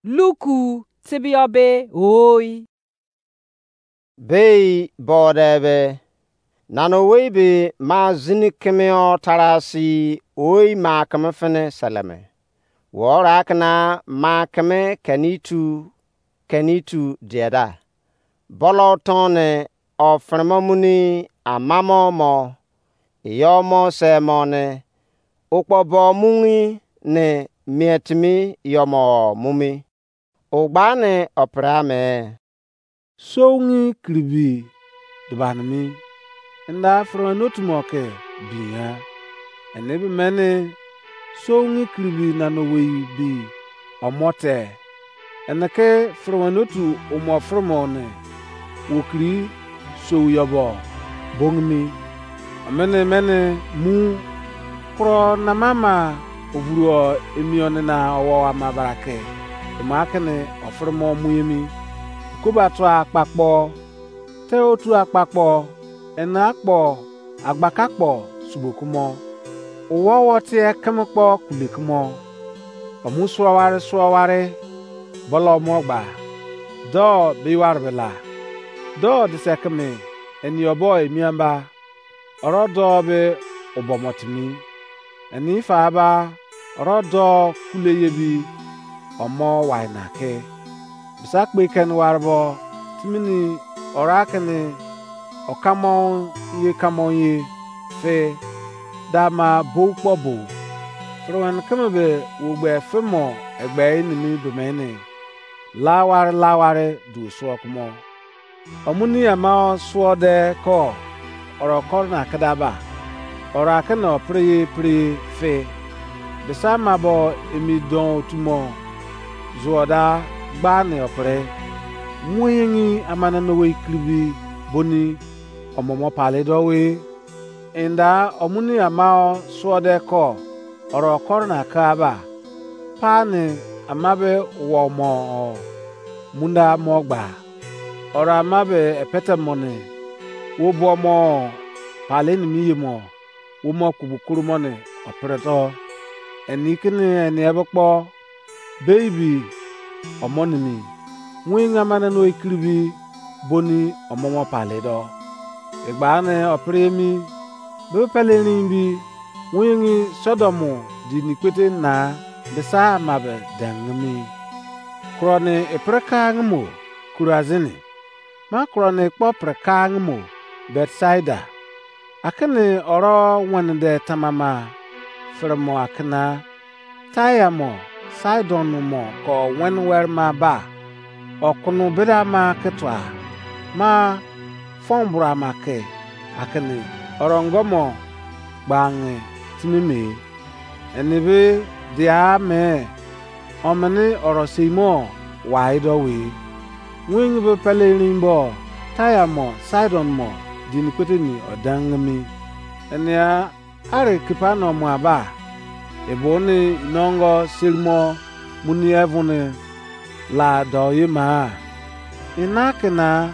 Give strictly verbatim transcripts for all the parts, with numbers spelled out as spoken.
Luku tibio be oi. Bei bode be, nana owei be ma zini kemeo tarasi oi ma keme fini seleme. Wo ora kena ma keme keni tu, keni tu dieda. Bolo tone ofremo muni amamo mo, iyo mo se mo ne, ukpo bo mungi ne mietimi iyo mo mumi. Ugbani opere ame. Soungi kiribi dubanimi. Nda furuen otu mo ke binya. Ene be mene soungi kiribi nana owei bi omote. Ene ke furuen otu umo furumo ne wokiri sou yobo bongimi. Omene mene mu kuro namama ovuruo emioni na owo ama barake. Ema kene ofurimo mu emi. Koba tua akpakpo, te otu akpakpo, ena akpo, agbaka kpo subo kumo. Uwo wo tie keme kpo kule kumo. Omu suo ware suo ware, bolo mo gba. Do be ware bela. Do dise keme, eni obo emiamba. Oro do be ubomo timi. Eni fa ba, oro do kule yebi, omo wai na ke. Bisa kpe keni ware bo, timini ora kini okamo ye kamo ye fe, da ma bou kpo bou. Furuen keme be wo gbe femo egbe enimi bemeni. Laware laware du suo kumo. Omuni ama suo de ko, oro koro na keda ba. Oro akene opre ye pre fe. Bisa ama bo emi don otumo zuo da gba ne opre. Mu yengi amana no we ikiribi boni omomo pale do we. Inda omuni ama suo de ko, oro koro na ka ba. Pa ne ama be wo mo o, munda mo gba. Oro ama be epete mo ne, wo bo mo pale ni mi ye mo, wo mo kubu kuru mo ne opre to. Eni kini eni ebe kpo, baby omo nimi, win amana no ikiribi boni omomo pale do. Egba ne opre emi, be pele rin bi, win Sodom di nikpete na, bisa ama be dengimi. Kuro ne epre ka ngimo, Kurazini. Ma kuro ne kpo pre ka ngimo, Betsaida. Akene oro wene de tamama, firimo akena, Taia mo, Sidon mo ko wen were ma ba, okunu bida ma ke tua, ma fon bura ma ke, akini orongo mo gbange timi me. Eni be dia me, omini oro sei mo wai do we. Wing be pele rin bo, Taia mo, Sidon mo, dini kpete ni odangimi. Enia Ari Kapernaum aba, ebo ni inongo serimo muni evun la do ye ma? Ina kina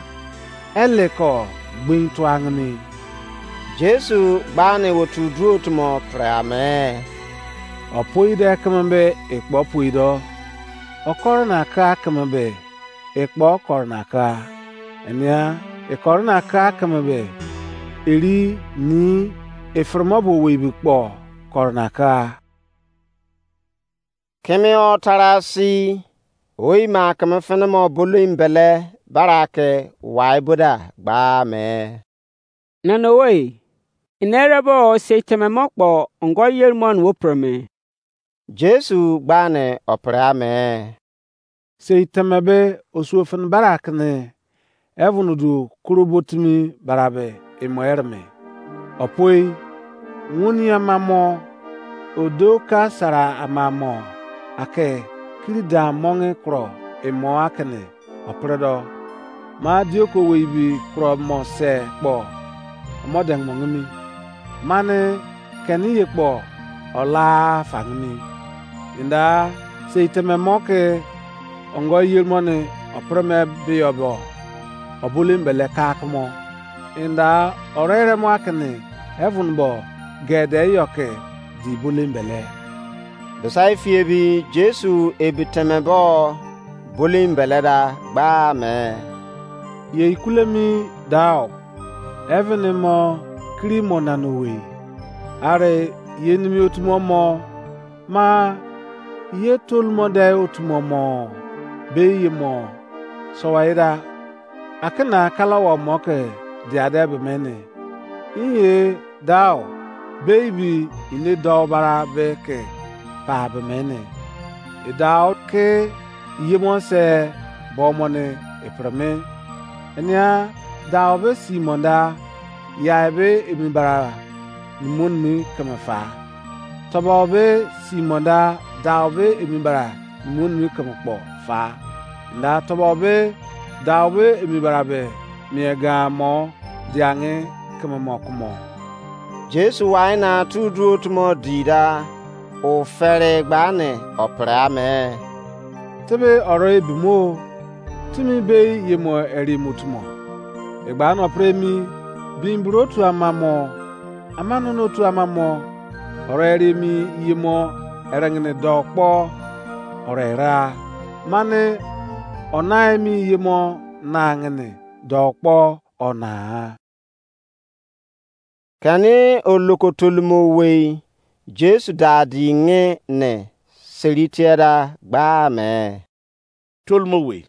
ele ko gbin tuangini. Jesu gbani otu duo tumo pre ame. Opoi de keme be ikpo poi do. Okoro na ka keme be ikpo koro na ka. Enia ikoro na ka keme be eri ni ifirimo bo weibi kpo koro na ka. Keme o tarasi, oi ma keme fene mo bolo imbele barake wai boda gba me. Nana owei, ina erebo sei teme mo kpo ongo yeri mo wo pre me. Jesu gbani opre ame. Sei teme be osuo fene barakene, heaven du koro botimi barabe imo ereme. Opoi, woni ama mo, odo ka sara ama mo, ake kiri dan monge kuro imo akene opredo. Ma dioko weibi kuro mo se kpo omo dengmongimi. Mane keni ye kpo ola fangimi. Inda sei teme mo ke ongo yeri mo ni opre me biyo bo, obolo embele ka kumo. Inda orere mo akini heaven bo gede yo ke di bolo embele. Besa ifi ebi Jesu ebi teme bo bolin beleda gba me, ye ikulemi dao, heaven mo kiri mo nana owei, are ye nimi otumo mo, ma ye tolumode otumo mo be ye mo sowayeda, akena kalawa mo ke diade be mene. Inye dao be ibi ine dou bara be ke pa be mene. Edao ke yemo se bo mo ne epre me. Enia dao be si mo da yai be emi bara nimo nimi keme fa. Tobo be si mo da dao be emi bara nimo nimi keme kpo fa. Nda tobo be dao be emi bara be mie gan mo diange keme mo kumo. Jesu wai na tu duo tumo di da, o fere gba ne o pre ame. Tebe oro ebimo, timi be ye mo eri mo tumo. Egba no pre mi, bin bro tu ama mo, ama no no tu ama mo, oro eri mi ye mo erengene do kpo, oro era, mane ona emi ye mo na ngene do kpo ona. Keni oloko tolumo wei Jesu da di nge ne seri tieda gba me. Tolumo wei,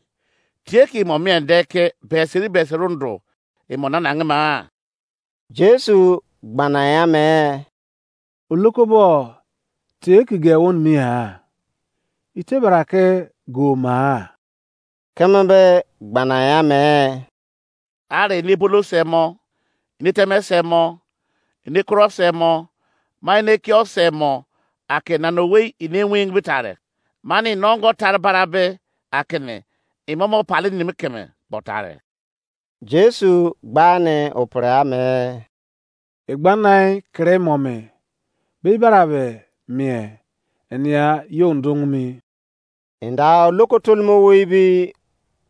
tie ke imo mien de ke beseri beseri ndo imo nana nge ma? Jesu gbana ya me. Oloko bo tie ke ge won mi ha? Ite bara ke go ma? Keme be gbana ya me. Are ene bolo se mo, ene teme se mo, ene kuro se mo, ma ene kio se mo, ake nana owei ene wing bitare, mani nongo tare bara be akene imomo pali nimi keme botare. Jesu gba ne opre ame. Egbanai kere mo me, be ibara be mie, enia yo ndung mi. Inda oloko tolumo wei bi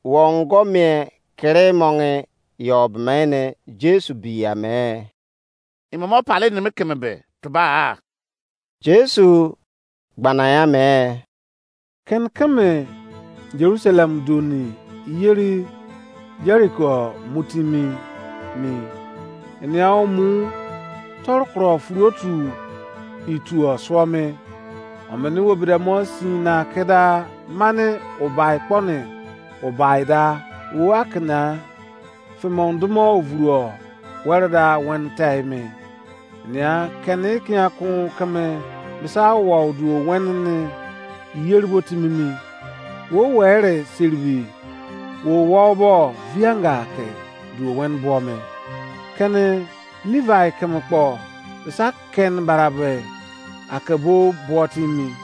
wongo mie kere monge yo bemene Jesu bi ame. Imomo pali nimi keme be tuba a? Jesu gbana ya me. Ken keme Jerusalem doni yeri Jeriko mutimi mi. Enia omu torkro furotu itu osuo me. Omene wo bidemo si na keda mane ubai kpone ubai da wo akena fimon dumo ovuruo were da wen tei me. Nia keni kian kun keme misa wo duo wen ne yeri bo timi mi. Wo were seribi wo wo bo vianga ke duo wen bo me. Keni Levi keme kpo misa ken barabe ake bo bo timi.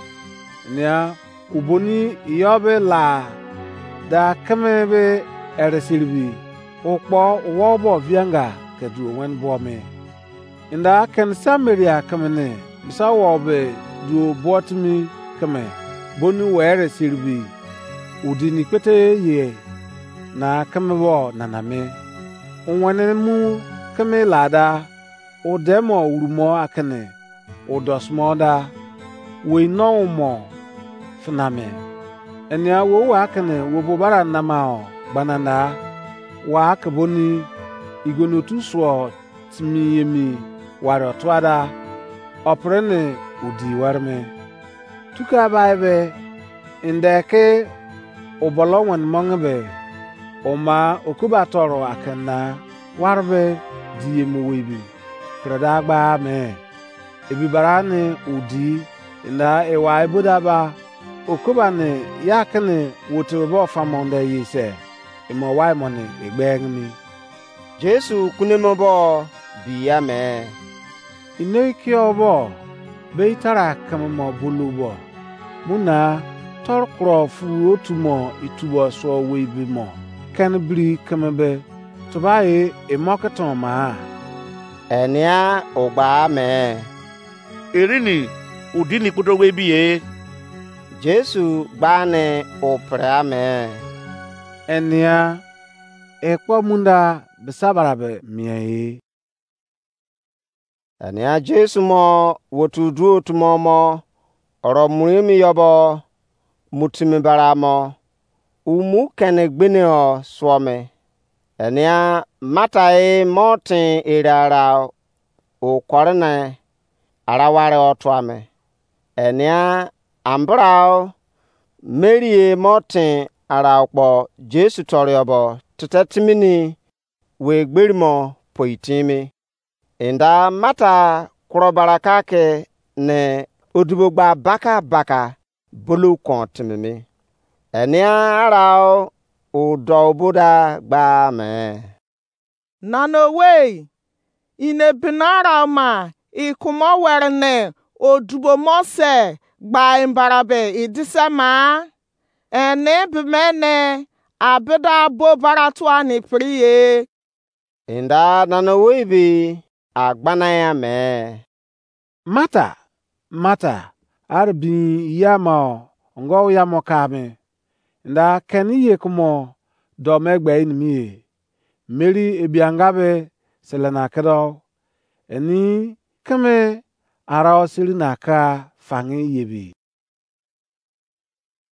Nia uboni iyo be la da keme be ere seribi ukpo wo bo vianga ke duo wen bo me. Inda ken Samaria keme ne misa wo be duo bo timi keme boni were seribi udi ni kpete ye na keme bo nana me. Uwene mu keme lada udemo urumo akene udosmo da wei no mo finame. Enia wo wa kene wo bo bara namao gbananda wa ke boni igono tu suo timi emi wari otua da opre ne odi wari me. Tuka bai be inde ke obolo wen monge be oma okuba toro akena wari be di emu wei bi. Kere da gba me. Ebi bara ne odi inda ewa eboda ba okoba ne ya kene wote bo famonde ye se emo wai mo ne egbeng ni. Jesu kunemo bo bi ya me. Inei kio bo be itara keme mo bulu bo. Muna tor kro fu otu mo itubo so wei bi mo. Ken biri keme be tuba e emo ke ton ma. Enia ogba me. Erini udi ni kpodo wei bi e. Jesu gba ne o pre ame. Enia ekpo munda bisa bara be mie e. Enia Jesu mo wotu duo tumo mo oro muri mi yobo mutimi bara mo. umu kene gbene o suo me. Enia Mata e mo tin ere ara o kore ne ara ware o tua me. Enia ambrao Mary e mo tin ara kpo Jesu tọrọ bo tete timini we gberi mo poi timi. Enda Mata kuro baraka ke ne odibo gba baka baka bulu kon timimi. Enia arao udo oboda gba me. Nana owei, ine binara ma ikumo were ne odubo mo se gba imbarabe idise ma? Ene bimene abida bo baratua ni priye. Enda nana owei be agbana ya me. Mata, Mata, ari bin iya ma ongo ya mo ka me. Enda keni ye kumo do me gbe inimi ye. Mary ebianga be selena kedo. Eni keme ara o seri na ka fangi yebi.